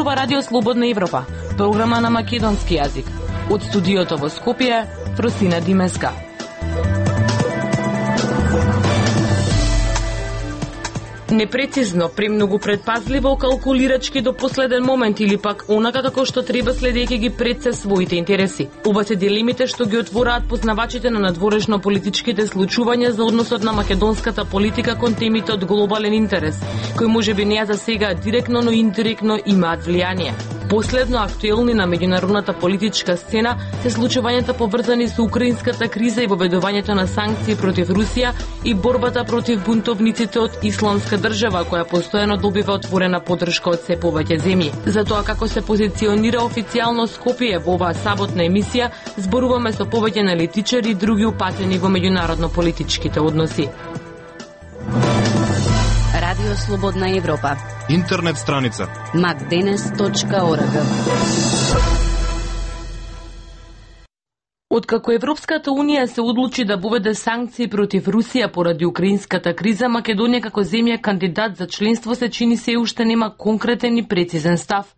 зборува Радио Слободна Европа, програма на македонски јазик. Од студиото во Скопје, Фросина Димеска. Непрецизно, премногу предпазливо, калкулирачки до последен момент или пак онака како што треба следејќи ги пред се своите интереси. Ова се дилемите што ги отвораат познавачите на надворешно политичките случувања за односот на македонската политика кон темите од глобален интерес, кои можеби не за сега директно, но индиректно имаат влијание. Последно актуелни на меѓународната политичка сцена се случувањата поврзани со украинската криза и воведувањето на санкции против Русија и борбата против бунтовниците од Исламска држава, која постојано добива отворена поддршка од се повеќе земји. За тоа како се позиционира официјално Скопје во оваа саботна емисија, зборуваме со повеќе аналитичари и други упатени во меѓународно политичките односи. Радио Слободна Европа. Интернет страница macdenes.org. Откако Европската Унија се одлучи да воведе санкции против Русија поради украинската криза, Македонија како земја кандидат за членство се чини се уште нема конкретен и прецизен став.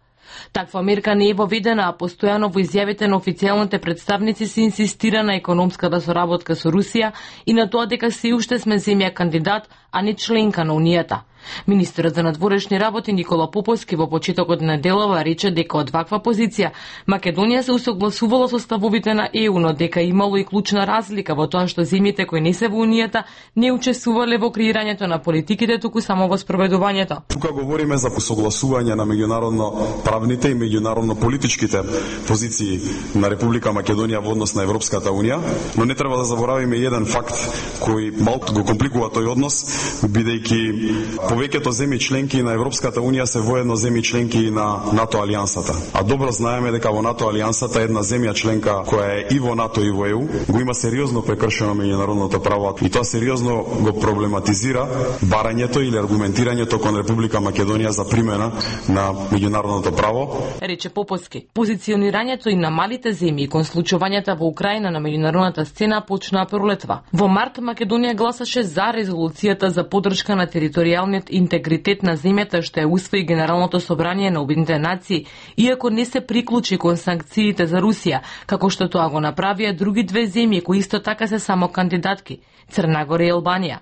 Таква мерка не е воведена, а постојано во изјавите на официјалните представници се инсистира на економската соработка со Русија и на тоа дека се уште сме земја кандидат, а не членка на Унијата. Министерот за надворешни работи Никола Поповски во почетокот на неделава рече дека од ваква позиција Македонија се усогласувала со ставовите на ЕУ, но дека имало и клучна разлика во тоа што земјите кои не се во Унијата не учествувале во креирањето на политиките, туку само во спроведувањето. Тука говориме за посогласување на меѓународно правните и меѓународно политичките позиции на Република Македонија во однос на Европската Унија, но не треба да заборавиме еден факт кој малку го компликува тој однос, бидејќи повеќето земји членки на Европската Унија се воедно земји членки на НАТО алијансата. А добро знаеме дека во НАТО алијансата една земја членка која е и во НАТО и во ЕУ го има сериозно прекршено меѓународното право и тоа сериозно го проблематизира барањето или аргументирањето кон Република Македонија за примена на меѓународното право. Рече Поповски. Позиционирањето и на малите земји кон случувањата во Украина на меѓународната сцена почнаа пролетва. Во март Македонија гласаше за резолуцијата за поддршка на територијалниот интегритет на земјата што е усвои Генералното собрание на Обединетите нации, иако не се приклучи кон санкциите за Русија, како што тоа го направија други две земји кои исто така се само кандидатки – Црна Гора и Албанија.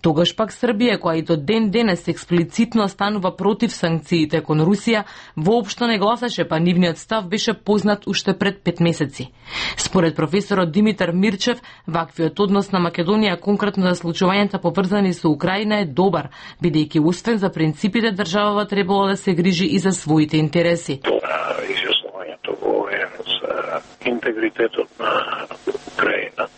Тогаш пак Србија, која и до ден денес експлицитно станува против санкциите кон Русија, воопшто не гласаше, па нивниот став беше познат уште пред 5 месеци. Според професорот Димитар Мирчев, ваквиот однос на Македонија конкретно за случувањата поврзани со Украина е добар, бидејќи освен за принципите државава требало да се грижи и за своите интереси. Изјаснувањето во ООН за интегритетот на Украина,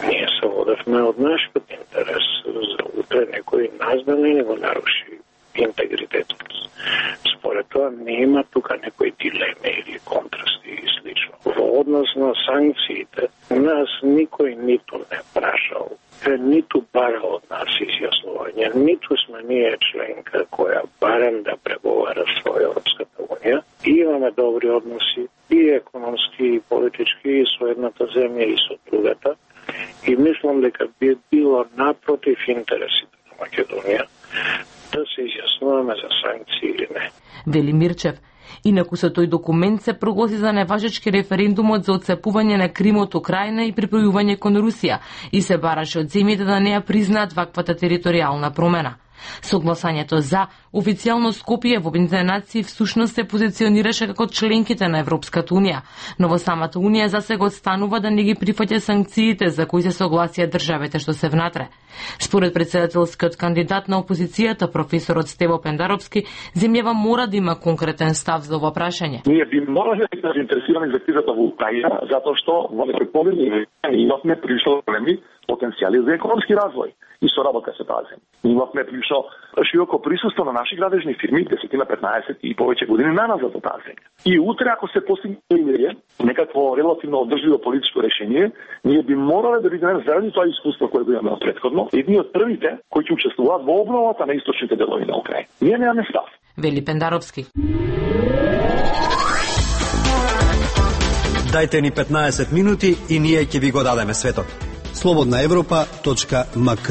ние се водевме од нашиот интерес за утре некој нас да не го наруши интегритетот. Според тоа нема тука некои дилеми или контрасти и слично. Во однос на санкциите, нас никој ниту не прашал, ниту барал од нас изјаснување, ниту сме ние членка која барем да преговара со Европската Унија. И имаме добри односи и економски, и политички, и со едната земја, и со другата. И мислам дека би било напротив интересите на Македонија да се изјаснуваме за санкции или не. Вели Мирчев. Инаку со тој документ се прогласи за неважечки референдумот за отцепување на Крим од Украина и припојување кон Русија и се бараше од земјите да не ја признаат ваквата територијална промена. Согласањето за официјално Скопје во Обединетите нации всушност се позиционираше како членките на Европската Унија, но во самата Унија засега останува да не ги прифаќа санкциите за кои се согласија државите што се внатре. Според председателскиот кандидат на опозицијата, професорот Стево Пендаровски, земјава мора да има конкретен став за ова прашање. Ние би морали да се заинтересираме за кризата во Украина, затоа што во некои поведни имавме прилично големи потенцијали за економски развој и соработка со таа земја. Имавме прилично широко присуство на наши градежни фирми, 10-15 и повеќе години наназад за таа земја. И утре ако се постигне некакво релативно одржливо политичко решение, ние би морале да бидеме заради тоа искуство кое го имаме претходно, едни од првите кои ќе учествуваат во обновата на источните делови на Украина. Ние немаме став. Вели Пендаровски. Дајте ни 15 минути и ние ќе ви го дадеме светот. slobodnaevropa.mk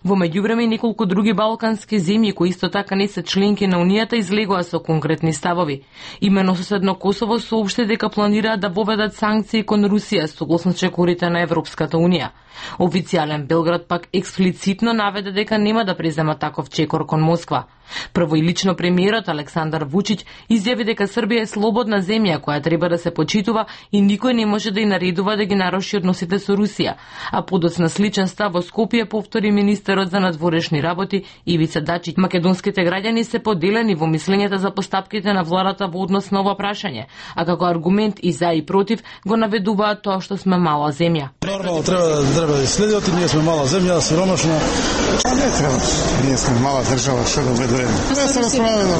Во меѓувреме неколку други балкански земји кои исто така не се членки на Унијата излегоа со конкретни ставови. Имено соседно Косово соопшти дека планираат да воведат санкции кон Русија согласно чекорите на Европската Унија. Официјален Белград пак експлицитно наведе дека нема да презема таков чекор кон Москва. Прво и лично премиерот Александар Вучиќ изјави дека Србија е слободна земја која треба да се почитува и никој не може да ја наредува да ги наруши односите со Русија. А подоцна сличен став во Скопје повтори министерот за надворешни работи Ивица Дачиć. Македонските граѓани се поделени во мислењата за постапките на владата во однос на ова прашање, а како аргумент и за и против го наведуваат тоа што сме мала земја. Нормално треба да следат, ние сме мала земја, сиромашна. Не треба. Ние сме мала држава, што да ведеме. Не се расправаме.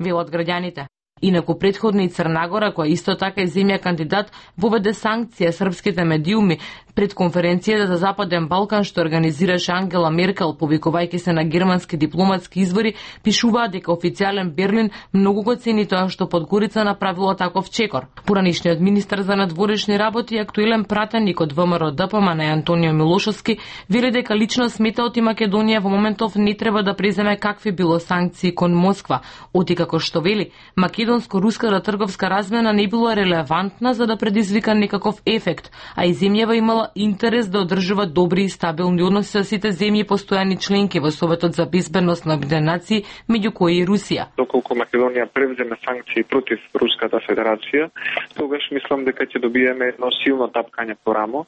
Велат граѓаните. Инаку претходно и Црна Гора, која исто така е земја кандидат, воведе санкција српските медиуми пред конференцијата за Западен Балкан што организираше Ангела Меркел, повикувајќи се на германски дипломатски извори, пишуваат дека официјален Берлин многу го цени тоа што Подгорица направило таков чекор. Поранишниот министар за надворешни работи и актуелен пратеник од ВМРО ДПМН Антонио Милошовски вели дека лично сметаот и Македонија во моментов не треба да преземе какви било санкции кон Москва, оти како што вели, македонско-руската трговска размена не била релевантна за да предизвика некаков ефект, а и земјава имала интерес да одржува добри и стабилни односи со сите земји постојани членки во Советот за безбедност на Обединетите нации, меѓу кои и Русија. Доколку Македонија превземе санкции против Руската Федерација, тогаш мислам дека ќе добиеме едно силно тапкање по рамо,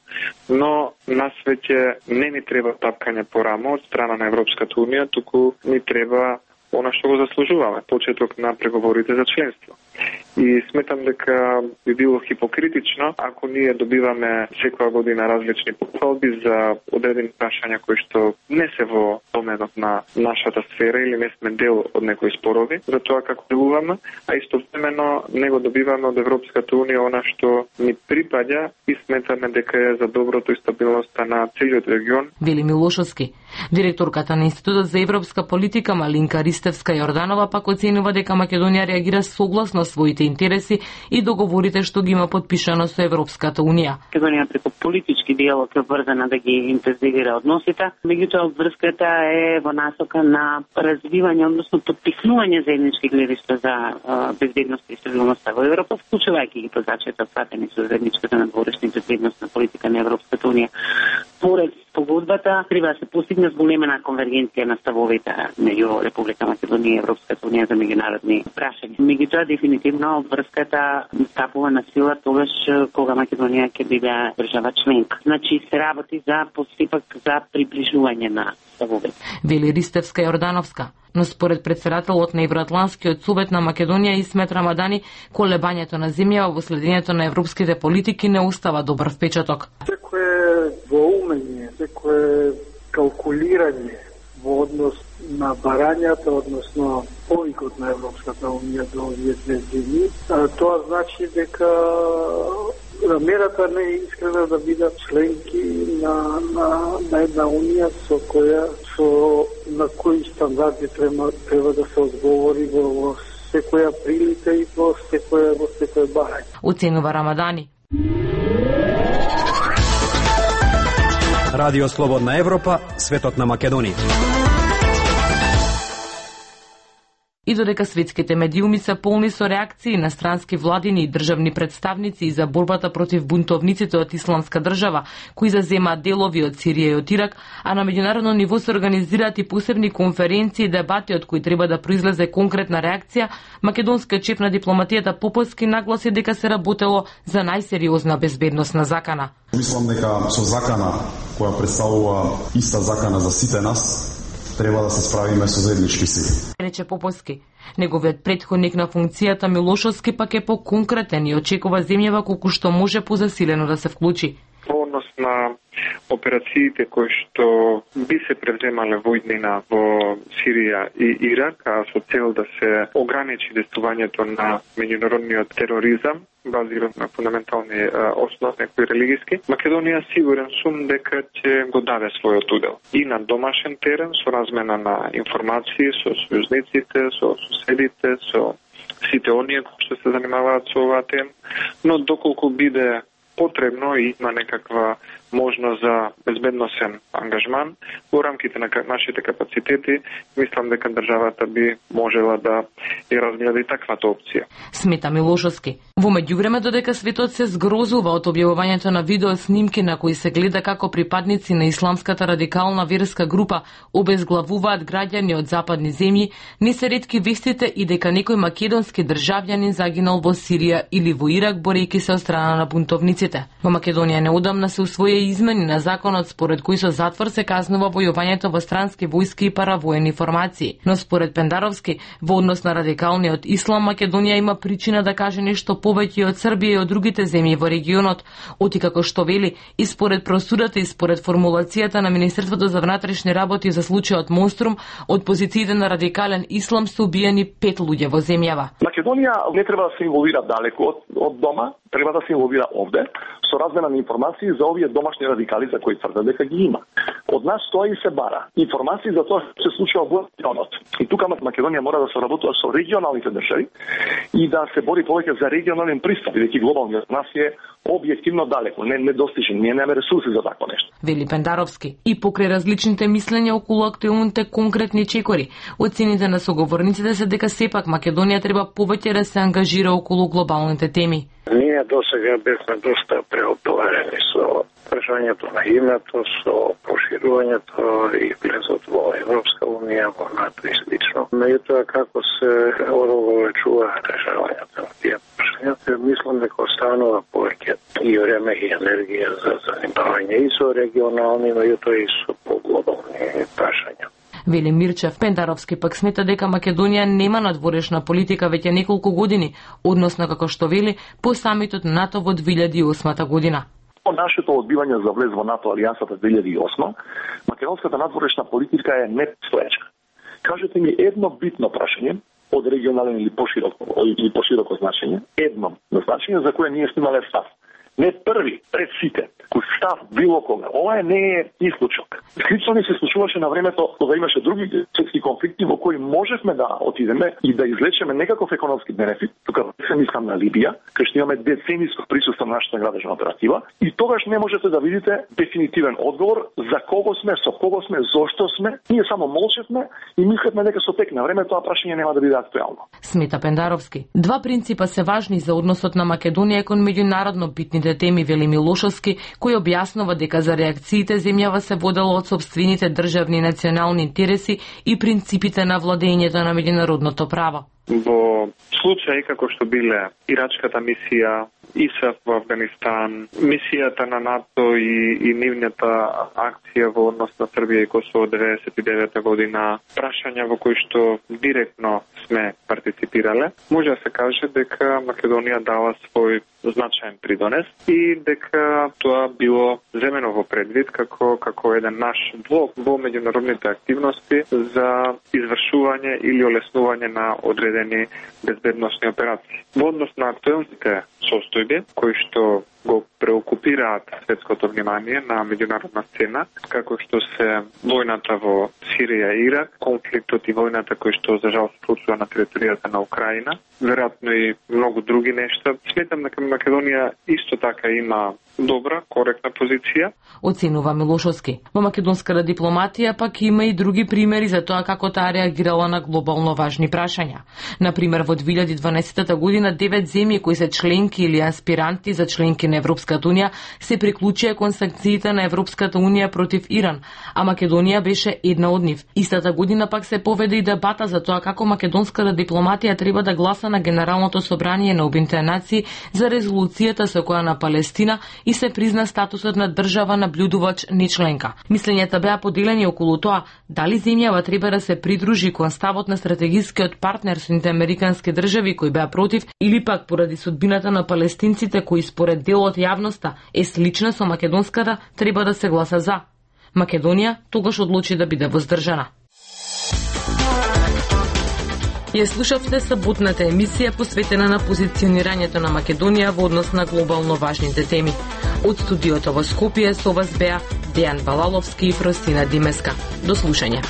но нас веќе не ни треба тапкање по рамо од страна на Европската Унија, туку ни треба она што го заслужуваме, почеток на преговорите за членство. И сметам дека би било хипокритично ако ние добиваме секоја година различни похвалби за одредени прашања кои што не се во доменот на нашата сфера или не сме дел од некои спорови за тоа како делуваме, а истовремено не го добиваме од Европската Унија она што ни припаѓа и сметаме дека е за доброто и стабилноста на целиот регион. Вели Милошовски. Директорката на Институтот за европска политика Малинка Ристевска Јорданова пак оценува дека Македонија реагира согласно своите интереси и договорите што ги има подпишано со Европската Унија. Македонија преку политички диалог е врзана да ги интензивира односите, меѓутоа врската е во насока на развивање, односно потпишување заеднички гледишта за безбедност и стабилноста во Европа, вклучувајќи ги позначајата пратени со заедничката надворешна безбедностна политика на Европската Унија. Поред погодбата треба да се постигне зголемена конвергенција на ставовите меѓу Република Македонија и Европската Унија за меѓународни прашања. Меѓутоа дефинитивно врската стапува на сила тогаш кога Македонија ќе биде држава членка. Значи се работи за постапок за приближување на ставовите. Вели Ристевска Јордановска. Но според председателот на Евроатланскиот совет на Македонија Исмет Рамадани, колебањето на земјава во следењето на европските политики не остава добар впечаток. Секое воумење, секое калкулирање во однос на барањата, односно повикот на Европската Унија до овие две земји, тоа значи дека намерата не е искрена да бидат членки на една унија на кои стандарди треба да се одговори во секоја прилика и во секој барање. Оценува Рамадани. Радио Слободна Европа, светот на Македонија. И додека светските медиуми се полни со реакции на странски владини и државни представници и за борбата против бунтовниците од Исламска држава, кои заземаат делови од Сирија и од Ирак, а на меѓународно ниво се организираат и посебни конференции и дебати од кои треба да произлезе конкретна реакција, македонскиот шеф на дипломатијата Поповски нагласи дека се работело за најсериозна безбедносна закана. Мислам дека со закана која представува иста закана за сите нас, треба да се справиме со заеднички сили. Рече Поповски. Неговиот претходник на функцијата Милошовски пак е поконкретен и очекува земјава колку што може позасилено да се вклучи. Во однос на операциите кои што би се превземале во иднина во Сирија и Ирак, а со цел да се ограничи действувањето на меѓународниот тероризам, базиран на фундаментални основи некои религиски, Македонија сигурен сум дека ќе го даде својот удел. И на домашен терен, со размена на информации, со сојузниците, со соседите, со сите оние кои што се занимаваат со оваа тема, но доколку биде потребно и има некаква можност за безбедносен ангажман во рамките на нашите капацитети. Мислам дека државата би можела да ја разгледа и таквата опција. Смета Милошовски. Во меѓувреме, додека светот се згрозува од објавувањето на видео снимки на кои се гледа како припадници на исламската радикална верска група обезглавуваат граѓани од западни земји, не се ретки вестите и дека некој македонски државјанин загинал во Сирија или во Ирак борејќи се од страна на бунтовниците. Во Македонија неодамна се усвои измени на законот според кои со затвор се казнува војувањето во странски војски и паравоени формации. Но според Пендаровски, во однос на радикалниот ислам, Македонија има причина да каже нешто повеќе од Србија и од другите земји во регионот, оти како што вели и според просудата и според формулацијата на Министерството за внатрешни работи за случајот Монструм, од позициите на радикален ислам се убиени 5 луѓе во земјава. Македонија не треба да се инволвира далеко од дома, треба да се инволвира овде со размена на информации за овие домашни радикали за кои тврдат дека ги има. Од нас тоа и се бара. Информации за тоа што се случува во регионот. И тука Македонија мора да се работува со регионалните држави и да се бори повеќе за регионален пристап, бидејќи глобалниот нас е објективно далеко, не достижен, ние немаме ресурси за такво нешто. Вели Пендаровски. И покрај различните мислења околу актуелните конкретни чекори, оцените на соговорниците се дека сепак Македонија треба повеќе да се ангажира околу глобалните теми. Ние досега бевме доста преотоварени со прашањето на името, со проширувањето и влезот во Европска унија, во НАТО и слично. Меѓутоа, како се одолговечува решавањето на тие прашања, мислам дека останува повеќе и време и енергија за занимавање и со регионални, меѓутоа и со поглобални прашања. Вели Мирчев. Пендаровски пак смета дека Македонија нема надворешна политика веќе неколку години, односно како што вели по самитот НАТО во 2008 година. По нашето одбивање за влез во НАТО алијансата 2008, македонската надворешна политика е непостоечка. Кажете ми едно битно прашање од регионален или пошироко значење, едно значење за кое ние снимале став. Не први, пред сите, кој став било кога. Ова не е исклучок. Слично ни се случуваше на времето кога имаше други светски конфликти во кои можевме да отидеме и да излечеме некаков економски бенефит. Тука се мислам на Либија, кај што имаме децениско присуство на нашата градежна оператива и тогаш не можете да видите дефинитивен одговор за кого сме, со кого сме, зошто сме. Ние само молчевме и мислевме дека со тек на време тоа прашање нема да биде актуелно. Смета Пендаровски. Два принципа се важни за односот на Македонија кон меѓународно битните теми, вели Милошовски, кој објаснува дека за реакциите земјава се водела од собствените државни и национални интереси и принципите на владењето на меѓународното право. Во случаи како што биле ирачката мисија, ИСАФ во Афганистан, мисијата на НАТО и нивната акција во однос на Србија и Косово 99 година, прашања во кои што директно сме партиципирале, може да се каже дека Македонија дала свој значаен придонес и дека тоа било земено во предвид како еден наш блок во меѓународните активности за извршување или олеснување на одредени безбедносни операции. Во однос на актуелните состојби кои што го преокупираат светското внимание на меѓународна сцена, како што се војната во Сирија и Ирак, конфликтот и војната кои што за жал се случува на територијата на Украина, веројатно и многу други нешта. Сметам дека Македонија исто така има добра, коректна позиција. Оценува Милошовски. Во македонската дипломатија пак има и други примери за тоа како таа реагирала на глобално важни прашања. Например, во 2012 година 9 земји кои се членки или аспиранти за членки на Европската унија се приклучија кон санкциите на Европската унија против Иран, а Македонија беше една од нив. Истата година пак се поведе и дебата за тоа како македонската дипломатија треба да гласа на Генералното собрание на Обединетите нации за резолуцијата со која на Палестина и се призна статусот на држава наблюдувач не членка. Мислењата беа поделени околу тоа дали земјава треба да се придружи кон ставот на стратегискиот партнер Соединетите американски држави кои беа против или пак поради судбината на палестинците кои според дел од јавноста е слична со македонската треба да се гласа за. Македонија тогаш одлучи да биде воздржана. Ја слушавте саботната емисија посветена на позиционирањето на Македонија во однос на глобално важните теми. Од студиото во Скопје со вас беа Дејан Балаловски и Фростина Димеска. До слушање.